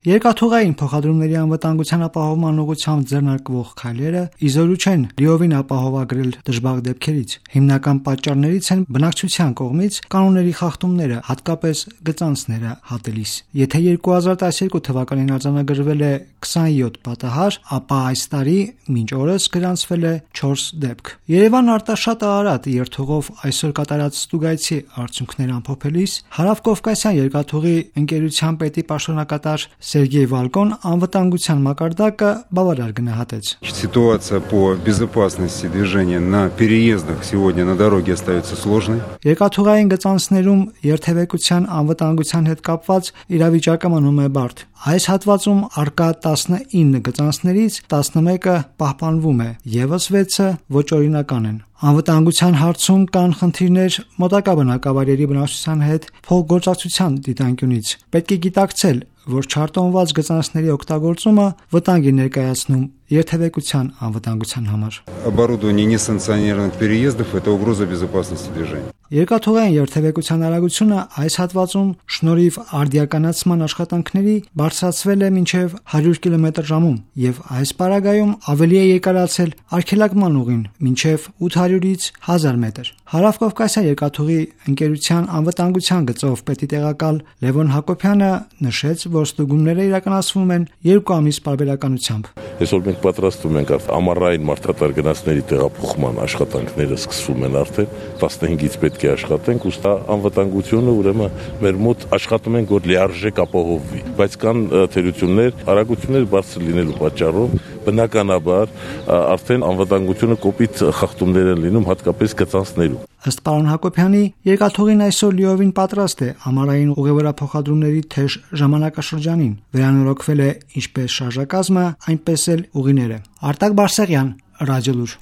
Երկաթուղային փոխադրումների անվտանգության ապահովման ուղղությամբ ձեռնարկվող քայլերը իզորու չեն լիովին ապահովագրել դժբախտ դեպքերից։ Հիմնական պատճառներից են բնակչության կողմից կանոնների խախտումները, հատկապես գծանցները հատելիս։ Եթե 2012 թվականին արձանագրվել է 27 պատահար, ապա այս տարի մինչ օրս գրանցվել է 4 դեպք։ Երևան-Արտաշատ-Արարատ երթուղով այսօր կատարած ստուգայցի արդյունքներ ամփոփելիս Հարավկովկասյան երկաթուղի ընկերության պետի պաշտոնակատար Սերգեյ Վալկոն անվտանգության մակարդակը բավարար գնահատեց։ Ситуация по безопасности движения на переездах сегодня на дороге остается сложной. Երկաթուղային գծանցներում երթևեկության անվտանգության հետ կապված իրավիճակը մնում է բարդ։ Այս հատվածում առկա 19 գծանցներից 11-ը պահպանվում է, ևս 6-ը ոչ օրինական են։ Անվտանգության հարցում կան խնդիրներ մոտակա բնակավայրերի բնակչության հետ փոխգործակցության դիտանկյունից։ Պետք է գիտակցել, որ չարտոնված գծանցների օգտագործումը վտանգ է ներկայացնում երթևեկության անվտանգության համար։ Оборудование несанкционированных переездов это угроза безопасности движения. Երկաթուղային երթևեկության արագությունը այս հատվածում շնորհիվ արդիականացման աշխատանքների բարձրացվել է մինչև 100 կմ/ժ եւ այս պարագայում ավելի է երկարացել արգելակման ուղին մինչև 800-ից 1000 մետր։ Հարավկովկասյան երկաթուղի ընկերության անվտանգության գծով պետի տեղակալ Լևոն Հակոբյանը նշեց, որ ստուգումները իրականացվում են 2 ամիս պարբերականությամբ։ Այսօր մենք պատրաստում ենք ամառային մարդատար գնացների տեղափոխման աշխատանքները սկսվում են արդեն 15-ից պետք է աշխատենք, ուստի անվտանգությունը ուրեմն մեր մոտ աշխատում ենք, որ լիարժեք ապահովվի, բայց կան թերություններ, արագություններ բարձր լինելու պատճառով բնականաբար արդեն անվտանգությունը կոպիտ խախտումներ են լինում, հատկապես գծանցներում։ Ըստ պարոն Հակոբյանի, երկաթուղին այսօր լիովին պատրաստ է ամառային ուղևորափոխադրումների թեժ ժամանակաշրջանին։ Վերանորոգվել է ինչպես շարժակազմը, այնպես էլ ուղիները։ Արտակ Բարսեղյան, Ռադիոլուր։